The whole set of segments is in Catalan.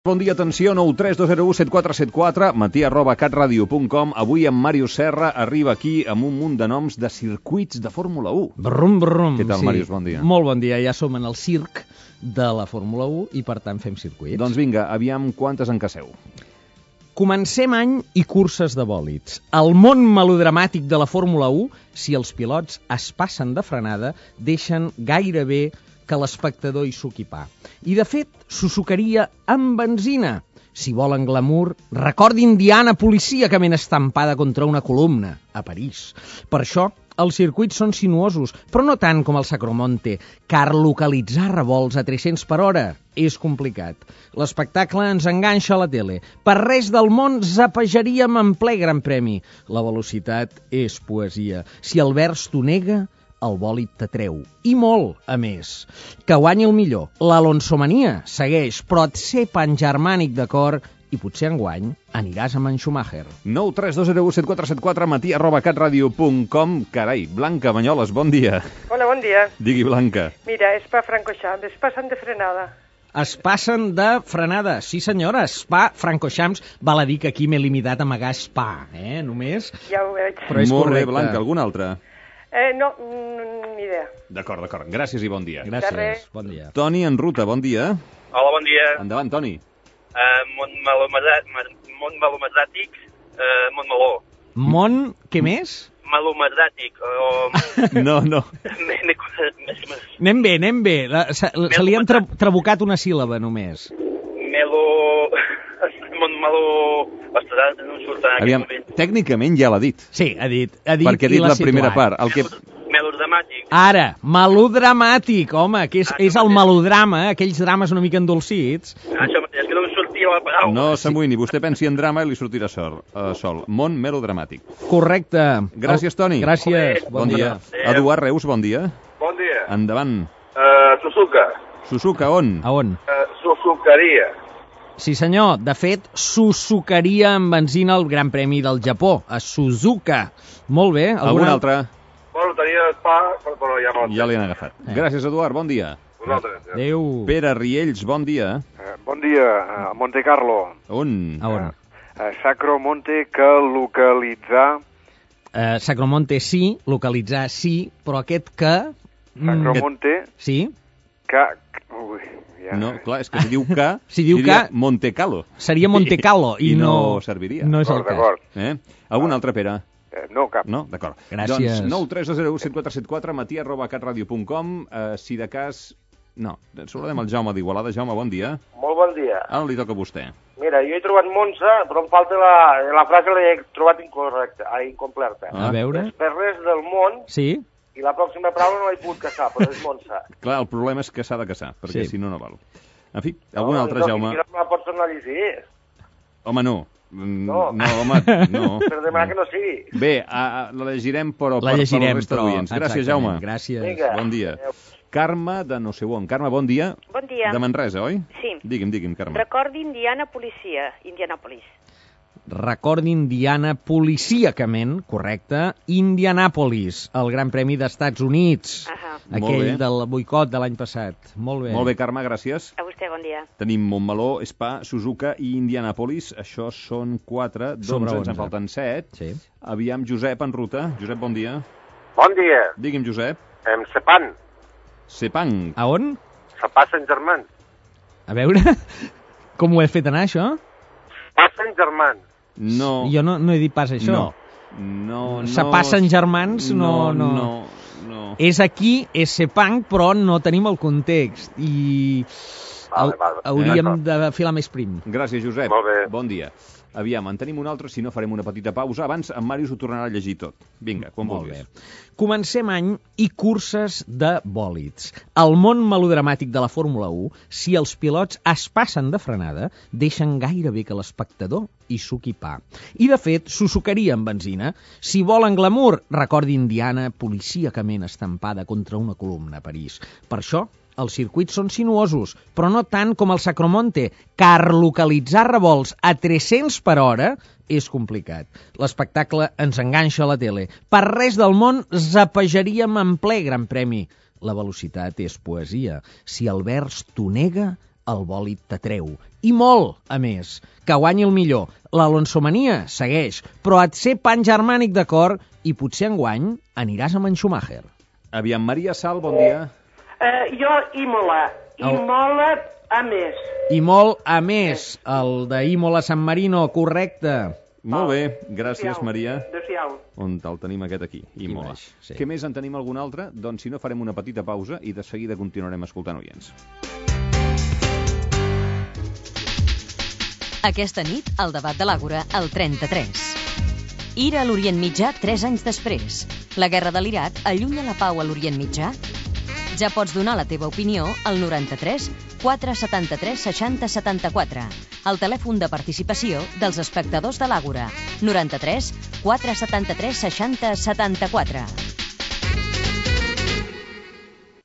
Bon dia, atenció, 932017474, matí@catradio.com. Avui en Màrius Serra arriba aquí amb un munt de noms de circuits de Fórmula 1. Brum, brum. Què tal, sí. Màrius? Bon dia. Molt bon dia, ja som en el circ de la Fórmula 1 i per tant fem circuits. Doncs vinga, aviam quantes en casseu. Comencem any i curses de bòlids. El món melodramàtic de la Fórmula 1, si els pilots es passen de frenada, deixen gairebé que l'espectador hi suqui pa. I, de fet, s'ho sucaria amb benzina. Si volen glamour, recordin Diana policíacament estampada contra una columna, a París. Per això, els circuits són sinuosos, però no tant com el Sacromonte, car localitzar revolts a 300 per hora és complicat. L'espectacle ens enganxa a la tele. Per res del món zapejaríem en ple Gran Premi. La velocitat és poesia. Si el vers t'ho nega, el bòlid t'atreu. I molt, a més. Que guanyi el millor. L'Alonsomania segueix, però et sé pangermànic de cor i potser enguany aniràs amb en Schumacher. 932017474, matí@catradio.com. Carai, Blanca Banyoles, bon dia. Hola, bon dia. Digui, Blanca. Mira, Spa-Francorchamps, es passen de frenada. Es passen de frenada. Sí, senyora, Spa-Francorchamps. Val a dir que aquí m'he limitat a amagar Spa, només. Ja ho veig. Però és Molt correcte. bé, Blanca, algun altre? No, ni idea. D'acord. Gràcies i bon dia. De Gràcies, res. bon dia. Toni en ruta, bon dia. Hola, bon dia. Endavant, Toni. Mont melomedràtic, Mont Meló. Mont, què més? Melomedràtic, o... No. Anem bé. Se li han trabucat una síl·laba, només. Mont Meló... Ostres, no em surt en aquest Aviam, moment. tècnicament ja l'ha dit. Sí, ha dit Perquè ha i dit l'ha la primera situat. part. El que... Melodramàtic. Ara, melodramàtic, home, que és el melodrama, aquells drames una mica endolcits. Això mateix, és que no em sortia la paraula. No s'amoïni, vostè pensi en drama i li sortirà sol. Mont melodramàtic. Correcte. Gràcies, Toni. Gràcies. Bon dia. Eduard Reus, bon dia. Bon dia. Endavant. Suzuka. Suzuka, on? A on? Suzukaria. Sí, senyor. De fet, suzucaria amb benzina el Gran Premi del Japó, a Suzuka. Molt bé. Algun altre? Bueno, tenia Spa, però ja no. Ja l'han agafat. Gràcies, Eduard. Bon dia. Vosaltres. Ja. Adéu. Pere Riells, bon dia. Bon dia, a Monte Carlo. On? A on? Sacromonte, que localitzar... Sacromonte sí, localitzar sí, però aquest que... Sacromonte, Sí? que... Ui, ja. No, clar, és que si diu que, Si diu diria que- Montecalo. Seria Montecalo i no serviria. No és el D'acord. cas. Algun altre, Pere? No, cap. No? D'acord. Gràcies. Doncs 932017474, matí@catradio.com. Si de cas... No, saludem el Jaume d'Igualada. Jaume, bon dia. Molt bon dia. Ara li toca a vostè. Mira, jo he trobat Monza, però em falta la frase l'he trobat incompleta. A veure... Per res del món, Sí? i la pròxima paraula no l'he pogut caçar, però és Monza. Clar, el problema és que s'ha de caçar, perquè Sí. si no, no val. En fi, algun altre, Jaume? No me la pots tornar a llegir, Home, no. No. Home, no. per demanar que no sigui. Bé, la llegirem, però La per llegirem, la resta però... d'oients. Gràcies, Jaume. Gràcies. Vinga. Bon dia. Carme, de no sé on. Carme, bon dia. Bon dia. De Manresa, oi? Sí. Digui'm, Carme. Recordin Diana Policia, Indianapolis. Recordin Diana policíacament, correcte, Indianapolis, el Gran Premi d'Estats Units. Ahà. Molt Aquell bé. del boicot de l'any passat. Molt bé. Molt bé, Carme, gràcies. A vostè, bon dia. Tenim Montmeló, Spa, Suzuka i Indianapolis. Això són 4, Sobre 11, ens 11. en falten 7. Sí. Aviam, Josep, en ruta. Josep, bon dia. Bon dia. Digui'm, Josep. Sepan. Sepang. A on? Se passen germans. A veure, com ho he fet anar, això? Passen germans. No. Jo no he dit pas això. No. Se passen germans, no. No. És aquí, és Sepang, però no tenim el context. I Vale. hauríem de filar més prim. Gràcies, Josep. Molt bé. Bon dia. Aviam, en tenim un altre, si no farem una petita pausa. Abans, en Màrius ho tornarà a llegir tot. Vinga, quan Molt vulguis. bé. Comencem any i curses de bòlids. El món melodramàtic de la Fórmula 1, si els pilots es passen de frenada, deixen gairebé que l'espectador hi suqui pa. I, de fet, s'ho sucaria amb benzina. Si volen glamour, recordin Diana policíacament estampada contra una columna a París. Per això, els circuits són sinuosos, però no tant com el Sacromonte, car localitzar revolts a 300 per hora és complicat. L'espectacle ens enganxa a la tele. Per res del món zapejaríem en ple Gran Premi. La velocitat és poesia. Si el vers t'ho nega, el bòlid t'atreu. I molt, a més. Que guanyi el millor. L'Alonsomania segueix, però et sé pangermànic de cor i potser enguany aniràs amb en Schumacher. Aviam, Maria Sal, bon dia. Jo, Imola. Imola a més. I molt a més, el d'Imola San Marino, correcte. Molt bé, gràcies, Maria. Adéu-siau. On el tenim aquest aquí, Imola. Sí. Què més en tenim algun altre? Doncs si no farem una petita pausa i de seguida continuarem escoltant oients. Aquesta nit, el debat de l'Àgora, al 33. Ira a l'Orient Mitjà 3 anys després. La guerra de l'Iraq allunya la pau a l'Orient Mitjà? Ja pots donar la teva opinió al 93 473 60 74, el telèfon de participació dels espectadors de l'Àgora. 93 473 60 74.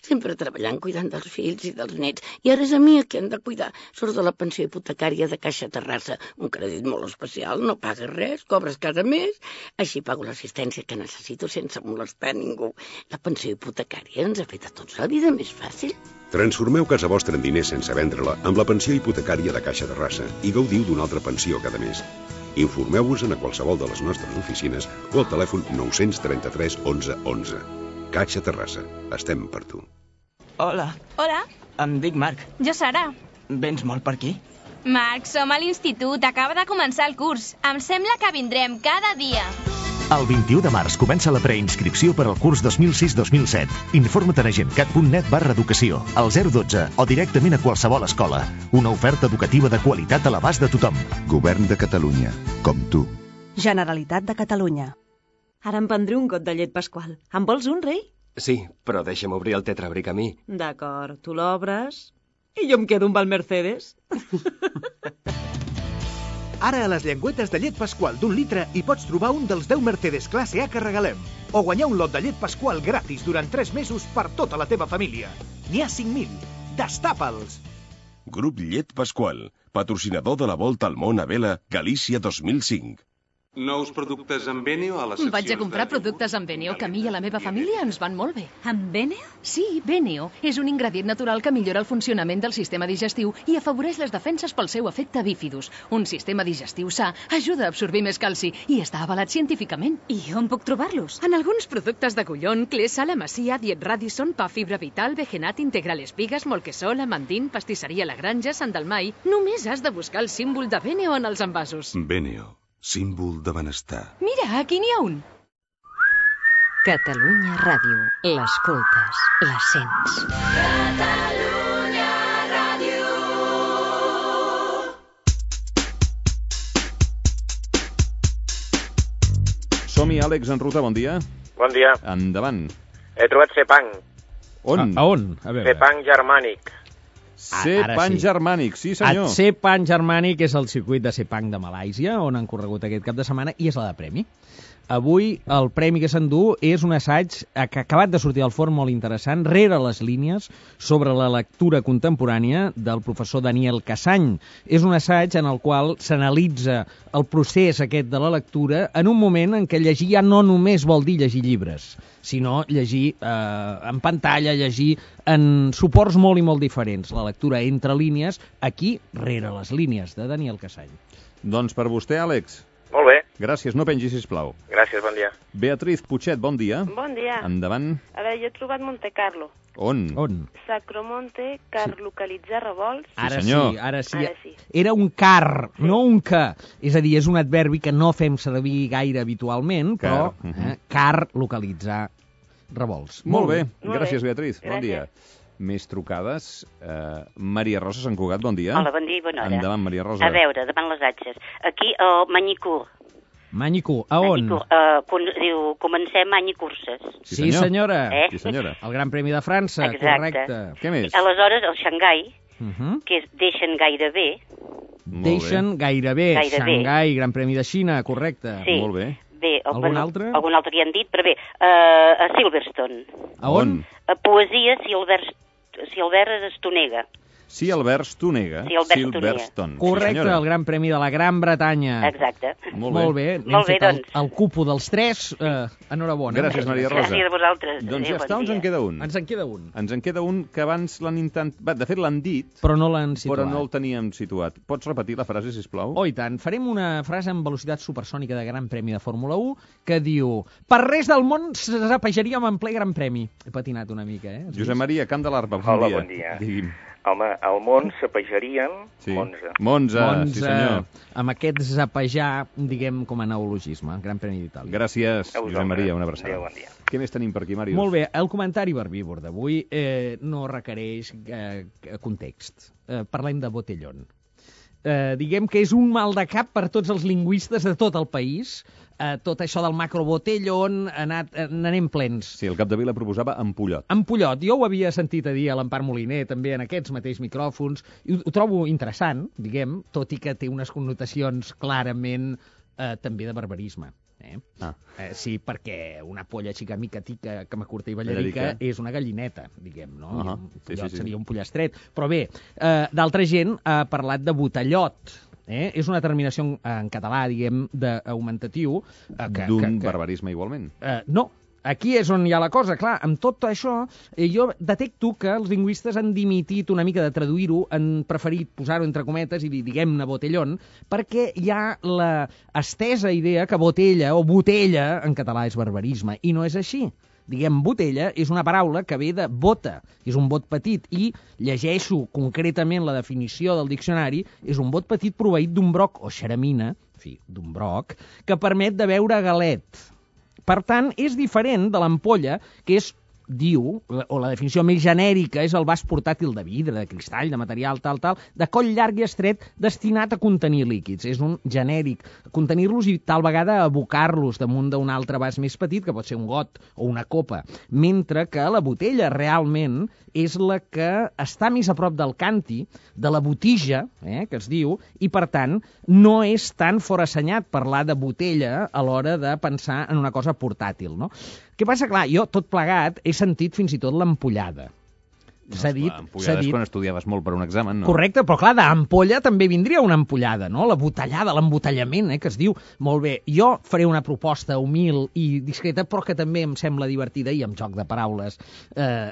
Sempre treballant, cuidant dels fills i dels nets. I ara és a mi que han de cuidar. Surt de la pensió hipotecària de Caixa Terrassa. Un crèdit molt especial, no pagues res, cobres cada mes. Així pago l'assistència que necessito sense molestar ningú. La pensió hipotecària ens ha fet a tots la vida més fàcil. Transformeu casa vostra en diners sense vendre-la amb la pensió hipotecària de Caixa Terrassa i gaudiu d'una altra pensió cada mes. Informeu-vos a qualsevol de les nostres oficines o al telèfon 933 11 11. Caixa Terrassa. Estem per tu. Hola. Hola. Em dic Marc. Jo, Sara. Vens molt per aquí? Marc, som a l'institut. Acaba de començar el curs. Em sembla que vindrem cada dia. El 21 de març comença la preinscripció per al curs 2006-2007. Informa't a agentcat.net/educació, al 012 o directament a qualsevol escola. Una oferta educativa de qualitat a l'abast de tothom. Govern de Catalunya, com tu. Generalitat de Catalunya. Ara em prendré un got de llet pasqual. En vols un, rei? Sí, però deixa'm obrir el tetrabric a mi. D'acord, tu l'obres i jo em quedo amb el Mercedes. Ara a les llengüetes de llet pasqual d'1 litre hi pots trobar un dels 10 Mercedes classe A que regalem. O guanyar un lot de llet pasqual gratis durant 3 mesos per tota la teva família. N'hi ha 5.000. Destapa'ls! Grup Llet Pasqual, patrocinador de la Volta al Món a Vela, Galícia 2005. Nous productes amb Beneo a les seccions... Vaig a comprar productes amb Beneo, que a mi i a la meva família ens van molt bé. Amb Beneo? Sí, Beneo és un ingredient natural que millora el funcionament del sistema digestiu i afavoreix les defenses pel seu efecte bífidus. Un sistema digestiu sa ajuda a absorbir més calci i està avalat científicament. I on puc trobar-los? En alguns productes de Collón, Clesa, La Masia, Diet Radisson, Pa Fibra Vital, Vegenat, Integral Espigas, Molquesol, Amandín, Pastisseria La Granja, Sant Dalmai... Només has de buscar el símbol de Beneo en els envasos. Beneo, símbol de benestar. Mira, aquí n'hi ha un. Catalunya Ràdio. L'escoltes, la sents. Catalunya Ràdio. Som-hi, Àlex en ruta, bon dia. Bon dia. Endavant. He trobat Sepang. On? A on? A veure. Sepang germànic. Sepang germànic, sí senyor. El Sepang germànic és el circuit de Sepang de Malàisia, on han corregut aquest cap de setmana, i és la de premi. Avui el premi que s'endú és un assaig que ha acabat de sortir al forn molt interessant, rere les línies, sobre la lectura contemporània del professor Daniel Cassany. És un assaig en el qual s'analitza el procés aquest de la lectura en un moment en què llegir ja no només vol dir llegir llibres, sinó llegir en pantalla, llegir en suports molt i molt diferents. La lectura entre línies, aquí, rere les línies, de Daniel Cassany. Doncs per vostè, Àlex. Molt bé. Gràcies, no pengi, sisplau. Gràcies, bon dia. Beatriz Puchet, bon dia. Bon dia. Endavant. A veure, jo he trobat Monte Carlo. On? Sacromonte, car localitzar revolts. Ara senyor. sí, ara sí. Ara sí. Era un car, no un que. És a dir, és un adverbi que no fem servir gaire habitualment, però car, localitzar revolts. Molt bé. Gràcies, Beatriz. Bon dia. Més trucades. Maria Rosa Sant Cugat, bon dia. Hola, bon dia i bona hora. Endavant, Maria Rosa. A veure, davant les atxes. Aquí, Manicur. Manicur, a on? Diu, comencem any i curses. Sí, senyora. Sí, senyora. El Gran Premi de França, correcte. Què més? Aleshores, el Xangai, que és deixen gairebé. Deixen gairebé. Xangai, Gran Premi de Xina, correcte. Sí. Molt bé. Bé, algun altre? Algun altre ja han dit, però bé, a Silverstone. A on? A poesia, si el vers Estonega. Si Alberts t'ho nega, Silverstone. Correcte, el Gran Premi de la Gran Bretanya. Exacte. Molt bé. Molt bé, doncs. El cupo dels 3, enhorabona. Gràcies, Maria Rosa. Gràcies a vosaltres. Doncs ja està, ens en queda un. Ens en queda un. Ens en queda un que abans l'han intentat... De fet, l'han dit, però no l'han situat. Però no el teníem situat. Pots repetir la frase, sisplau? Oh, i tant. Farem una frase amb velocitat supersònica de Gran Premi de Fórmula 1 que diu: per res del món zapejaríem en ple Gran Premi. He patinat una mica, eh? Josep Maria, Camp de l'Arpa, Hola, bon dia. Digui'm. Home, al món zapejaríem Monza. Monza, sí senyor. Amb aquest zapejar, diguem, com a neologisme. Gran Premi d'Itàlia. Gràcies, Josep Maria, una abraçada. Bon dia. Què més tenim per aquí, Màrius? Molt bé, el comentari verbívor d'avui no requereix context. Parlem de botellón. Diguem que és un mal de cap per tots els lingüistes de tot el país. Tot això del macrobotellón n'anem plens. Sí, el Capdevila proposava ampollot. Ampollot. Jo ho havia sentit a dir a l'Empar Moliner, també en aquests mateixos micròfons, i ho trobo interessant, diguem, tot i que té unes connotacions clarament també de barbarisme. Sí, perquè una polla xica-mica-tica, cama-curta i ballarica és una gallineta, diguem, no? Un pollot seria un pollastret. Però bé, d'altra gent ha parlat de botellot. És una terminació en català, diguem, d'augmentatiu. D'un barbarisme igualment. No, aquí és on hi ha la cosa. Clar, amb tot això, jo detecto que els lingüistes han dimitit una mica de traduir-ho, han preferit posar-ho entre cometes i dir, diguem-ne, botellón, perquè hi ha la estesa idea que botella o botella en català és barbarisme, i no és així. Diguem, botella és una paraula que ve de bota, és un bot petit, i llegeixo concretament la definició del diccionari, és un bot petit proveït d'un broc o xeramina, en fi, d'un broc, que permet de beure galet. Per tant, és diferent de l'ampolla, que és, diu, o la definició més genèrica és el vas portàtil de vidre, de cristall, de material, tal, de coll llarg i estret, destinat a contenir líquids. És un genèric. Contenir-los i tal vegada abocar-los damunt d'un altre vas més petit, que pot ser un got o una copa. Mentre que la botella realment és la que està més a prop del canti, de la botija, que es diu, i per tant no és tan forassenyat parlar de botella a l'hora de pensar en una cosa portàtil, no? Què passa? Clar, jo, tot plegat, he sentit fins i tot l'ampollada. S'ha dit... Ampollada és quan estudiaves molt per un examen, no? Correcte, però clar, d'ampolla també vindria una ampollada, no? La botellada, l'embotellament, que es diu. Molt bé, jo faré una proposta humil i discreta, però que també em sembla divertida i amb joc de paraules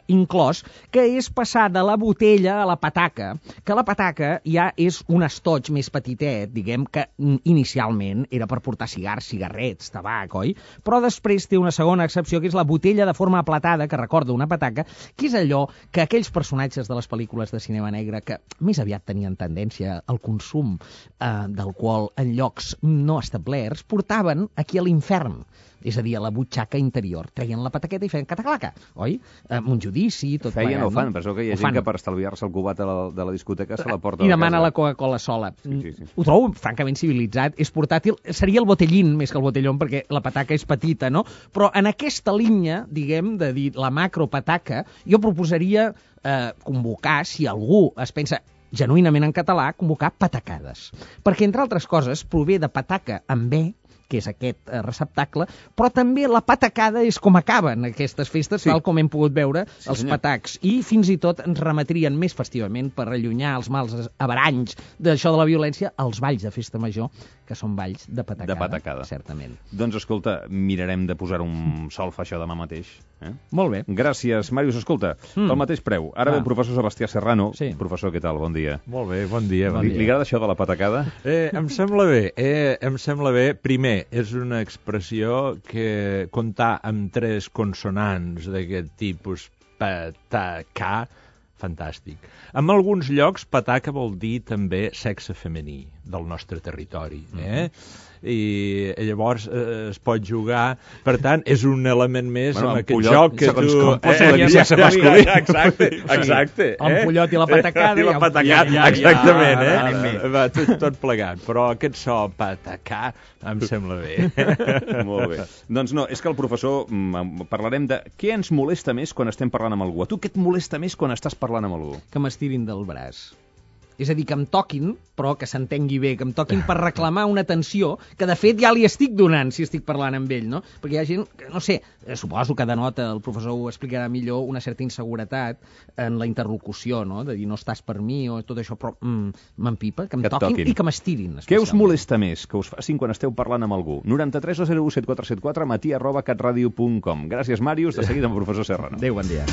inclòs, que és passar de la botella a la pataca, que la pataca ja és un estoig més petitet, diguem, que inicialment era per portar cigars, cigarrets, tabac, oi? Però després té una segona excepció, que és la botella de forma aplatada, que recorda una pataca, que és allò que aquells personatges de les pel·lícules de cinema negre que més aviat tenien tendència al consum d'alcohol en llocs no establerts, portaven aquí a l'infern, és a dir, a la butxaca interior. Treien la pataqueta i feien cataclaca, oi? Un judici, tot plegat. Feien o fan, però que hi ha gent que per estalviar-se el cubat de la discoteca se la porta i demana la Coca-Cola sola. Ho trobo francament civilitzat, és portàtil, seria el botellín més que el botellón, perquè la pataca és petita, no? Però en aquesta línia, diguem, de dir la macropataca, jo proposaria convocar, si algú es pensa genuïnament en català, convocar patacades. Perquè, entre altres coses, prové de pataca amb B, que és aquest receptacle, però també la patacada és com acaben aquestes festes, tal com hem pogut veure els patacs. I fins i tot ens remetrien més festivament per allunyar els mals averanys d'això de la violència als balls de festa major, que són balls de patacada. De patacada. Certament. Doncs, escolta, mirarem de posar un solfa això demà mateix. Molt bé. Gràcies, Màrius. Escolta, pel mateix preu. Ara ve el professor Sebastià Serrano. Professor, què tal? Bon dia. Molt bé, bon dia. Li agrada això de la patacada? Em sembla bé. Primer, és una expressió que comptar amb 3 consonants d'aquest tipus, patacà, fantàstic. En alguns llocs, pataca vol dir també sexe femení del nostre territori, i llavors es pot jugar, per tant és un element més en aquest joc que tu... Exacte. L'ampollot i la patacada. I la patacada, exactament, va tot plegat, però aquest so patacà em sembla bé. Molt bé. Doncs no, és que el professor parlarem de què ens molesta més quan estem parlant amb algú. A tu què et molesta més quan estàs parlant amb algú? Que m'estirin del braç. És a dir, que em toquin, però que s'entengui bé, que em toquin per reclamar una atenció que, de fet, ja li estic donant si estic parlant amb ell, no? Perquè hi ha gent que, no sé, suposo que denota, el professor ho explicarà millor, una certa inseguretat en la interlocució, no? De dir, no estàs per mi o tot això, però m'empipa, que em toquin i que m'estirin. Què us molesta més que us facin quan esteu parlant amb algú? 93 201 7474 matí@catradio.com. Gràcies, Màrius. De seguida amb el professor Serrano. Adéu, bon dia.